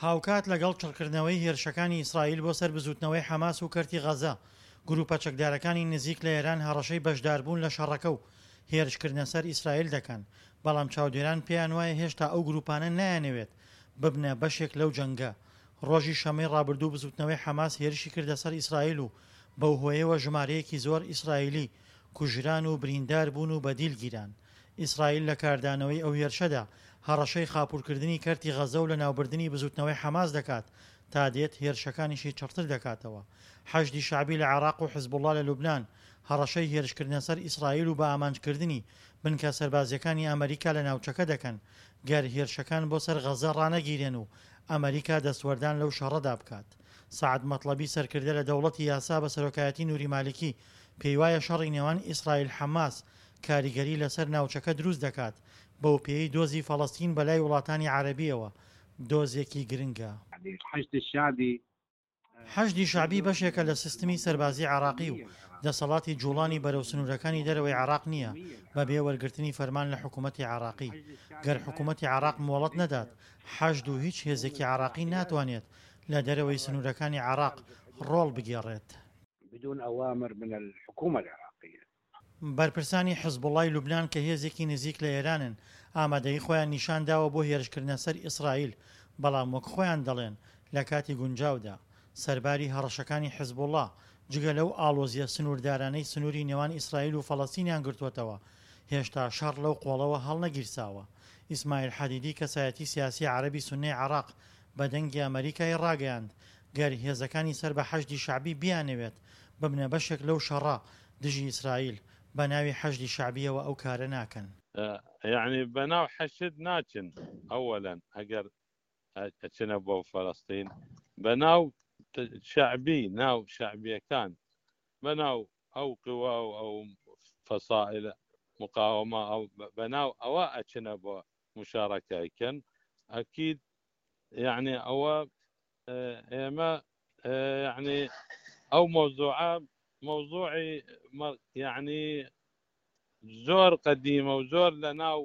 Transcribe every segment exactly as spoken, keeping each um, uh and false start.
هاوکات لەگەڵ چڕکردنەوەی هێرشەکانی ئیسرائیل بۆ سەر بزووتنەوەی حەماس و کەرتی غەزە، گرووپە چەکدارەکانی نزیک لە ئێران هەڕەشەی بەشداربوون لە شەڕەکە و هێرشکردنە سەر ئیسرائیل دەکەن، بەڵام چاودێران پێیانوایە هێشتا ئەو گرووپانە نایانەوێت ببنە بەشێک لەو جەنگە. ڕۆژی شەممەی ڕابردوو بزووتنەوەی حەماس هێرشی کردە سەر ئیسرائیل و بەو هۆیەوە ژمارەیەکی زۆر ئیسرائیلی کوژران و بریندار بوون و بەدیل گیران. ئیسرائیل لە کاردانەوەی ئەو هێرشەدا هەڕەشەی خاپوورکردنی کەرتی غەزە و لەناوبردنی بزووتنەوەی حەماس دەکات، تا دێت هێرشەکانیشی چڕتر دەکاتەوە. حەشدی شەعبی لە عێراق و حزبوڵڵا لە لوبنان هەڕەشەی هێرشکردنە سەر ئیسرائیل و بەئامانجکردنی بنکە سەربازییەکانی ئەمریکا لە ناوچەکە دەکەن، گەر هێرشەکان بۆ سەر غەزە ڕانەگیرێن و ئەمریکا دەستوەردان لەو شەڕەدا بکات. سەعد مەتڵەبی سەرکردە لە دەوڵەتی یاسا بە سەرۆکایەتی نوری مالیکی پێیوایە شەڕی نێوان ئیسرائیل-حەماس کاریگەری لەسەر ناوچەکە دروست دەکات، بەوپێیەی دۆزی فەڵەستین بەلای وڵاتانی عەرەبییەوە دۆزێکی گرنگە. حەشدی شەعبی بەشێکە لە سیستمی سەربازی عێراقی و دەسەڵاتی جوڵانی بەرەو سنوورەکانی دەرەوەی عێراق نییە بەبێ وەرگرتنی فەرمان لە حکوومەتی عێراقی. گەر حکوومەتی عێراق مۆڵەت نەدات، حەشد و هیچ هێزێکی عێراقی ناتوانێت لە دەرەوەی سنوورەکانی عێراق ڕۆڵ بگێڕێت. بەرپرسانی حزبوڵڵای لوبنان کە هێزێکی نزیک لە ئێرانن، ئامادەیی خۆیان نیشان داوە بۆ هێرشکردنە سەر ئیسرائیل، بەڵام وەک خۆیان دەڵێن لە کاتی گونجاودا. سەرباری هەڕەشەکانی حزبوڵڵا، جگە لەو ئاڵۆزییە سنووردارانەی سنووری نێوان ئیسرائیل و فەڵەستینیان گرتووەتەوە، هێشتا شەڕ لەو قۆڵەوە هەڵنەگیرساوە. ئیسماعیل حەدیدی کەسایەتی سیاسی عەرەبی سوننەی عێراق بە دەنگی ئەمەریکای ڕاگەیاند، گەر هێزەکانی سەر بە حەشدی شەعبی بیانەوێت ببنە بەشێک لەو شەڕە دژی ئیسرائیل، بە ناوی حەشدی شەعبییەوە ئەو کارە ناکەن. یەعنی بەناو حەشد ناچن، ئەوەلەن ئەگەر ئەچنە بۆ فەلەستین بەناو شەعبی، ناو شەعبیەکان، بەناو ئەو قوا و ئەو فەسائل مقاومە، ئەو بەناو ئەوە ئەچنە بۆ مشارەکەیکەن ئەکید. یعنی ئەوە ئێمە یعنی ئەو مەوزوعە مەوزوعی یعنی زۆر قەدیمە و زۆر لە ناو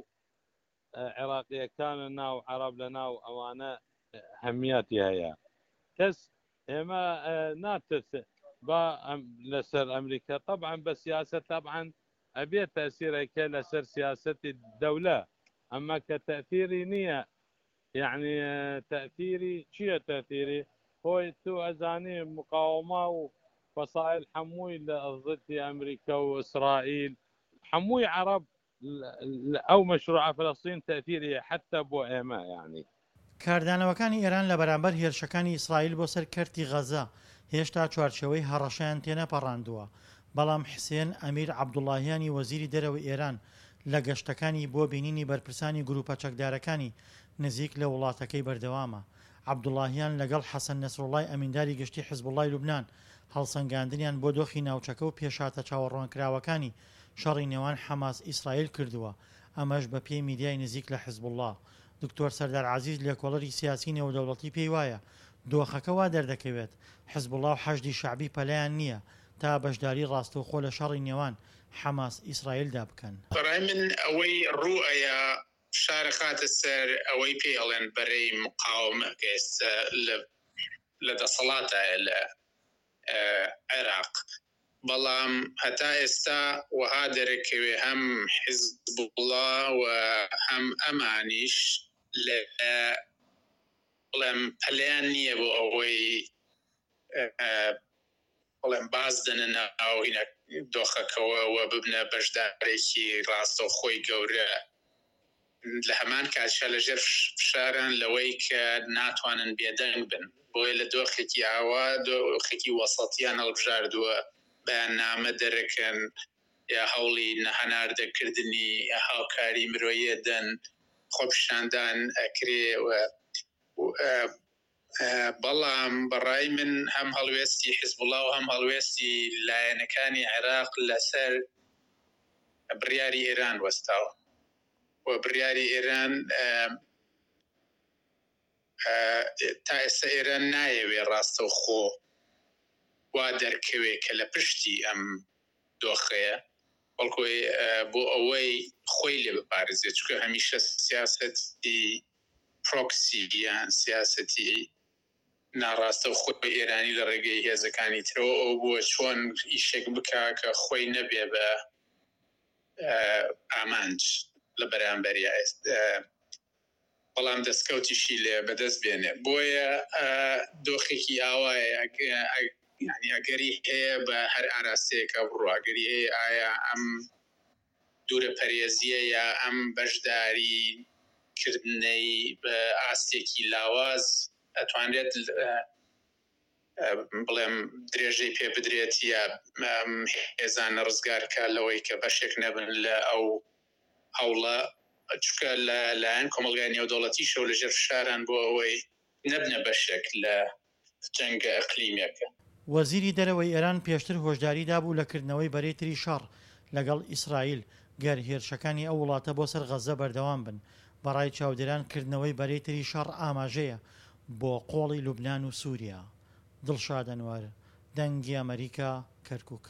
عێراقیەکانە، ناو عەرەب، لە ناو ئەوانە هەمیاتی هەیە. کەس ئێمە ناترس با لەسەر ئەمریکا طبعا بە سیاسەت، طبعا ئەبێت تەسیرێکە لەسەر سیاسەتی دەولە، ئەمە کە تەثیری نییە. یعنی تەثیری چییە؟ تەثیری خۆی تو ئەزانی مقاومە و فەسائل هەمووی لە ضدی ئەمریکا و ئیسرائیل، هەمووی عەرەب ئەو مەشروع فلسطین تەثیری حتی بۆ ئێمە. یعنی کاردانەوەکانی ئێران لە بەرامبەر هێرشەکانی ئیسرائیل بۆ سەر کەرتی غەزە هێشتا چوارچێوەی هەڕەشەیان تێنەپەڕاندووە، بەڵام حسێن ئەمیر عەبدوڵاهیانی وەزیری دەرەوەی ئێران لە گەشتەکانی بۆ بینینی بەرپرسانی گروپە چەکدارەکانی نزیک لە وڵاتەکەی بەردەوامە. عەبدوڵاهیان لەگەڵ حەسەن نەسروڵای ئەمینداری گشتی حزبوڵای لوبنان هەڵسەنگاندنیان بۆ دۆخی ناوچەکە و پێشهاتە چاوەڕوانکراوەکانی شەڕی نێوان حەماس ئیسرائیل کردووە، ئەمەش بەپێی میدیای نزیک لە حزبوڵا. دکتۆر سەردار عەزیز لێکۆڵەری سیاسی نێودەوڵەتی پێی وایە دۆخەکە وا دەردەکەوێت حزبوڵا و حەشدی شەعبی پەلەیان نییە تا بەشداری ڕاستەوخۆ لە شەڕی نێوان حەماس ئیسرائیلدا بکەن. بەڕای من ئەوەی ڕوو ئەیا فشار ئەخاتە سەر ئەوەی پێی ئەڵێن بەرەی مقاومە کە ئێستا لە دەسەڵاتایە لە عێراق، بەڵام هەتا ئێستا وەها دەرەکەوێ هەم حیزبوڵا و هەم ئەمانیش لە بڵێم پەلەیان نییە بۆ ئەوەی بڵێم باز دەنە ناو هینە دۆخەکەوە و ببنە بەشدارێکی ڕاستەوخۆی گەورە. لە هەمان کاتیشا لە ژێر فشاران لەوەی کە ناتوانن بێدەنگ بن، بۆیە لە دۆخێکی ئاوا دۆخێکی وەسەتیان هەڵبژاردووە، بەیاننامە دەرەکەن یا هەوڵی هەناردەکردنی هاوکاری مرۆیی دەن، خۆپیشاندان ئەکرێ و بەڵام بەڕای من هەم هەڵوێستی حزبوڵا و هەم هەڵوێستی لایەنەکانی عێراق لەسەر بڕیاری ئێران وەستاوە و بڕیاری ئێران تا ئێستا ئێران نایەوێ ڕاستەوخۆ وا دەرکەوێ کە لە پشتی ئەم دۆخەیە، بەڵکو بۆ ئەوەی خۆی لێ بپارێزێت، چونکە هەمیشە سیاسەتی پرۆکسی یان سیاسەتی ناڕاستەوخۆی ئێرانی لە ڕێگەی هێزەکانی ترەوە ئەو بووە چۆن ئیشێک بکا کە خۆی نەبێ بە ئامانج لە بەرامبەریا بەڵام دەستکەوتیشی لێ بەدەست بێنێ. بۆیە دۆخێکی ئاوایە یانی ئەگەری هەیە بە هەر ئاراستەیەکە بڕوا، ئەگەری هەیە ئایا ئەم دوورە پەرێزیە یا ئەم بەشداری کردنەی بە ئاستێکی لاواز ئەتوانرێت بڵێم درێژەی پێ بدرێت یا ئەم هێزانە ڕزگار کا لەوەی کە بەشێک نەبن لە ئەو هەوڵە، چونکە لە لایەن کۆمەڵگای نێودەوڵەتیشەوە لەژێر فشاران بۆ ئەوەی نەبنە بەشێک لە جەنگە ئەقلیمیەکە. وەزیری دەرەوەی ئێران پێشتر هۆشداری دابوو لە کردنەوەی بەرەی تری شەڕ لەگەڵ ئیسرائیل گەر هێرشەکانی ئەو وڵاتە بۆ سەر غەززە بەردەوام بن. بە ڕای چاودێران کردنەوەی بەرەی تری شەڕ ئاماژەیە بۆ قۆڵی لوبنان و سوریا. دڵشاد ئەنوەر، دەنگی ئەمەریکا، کەرکوک.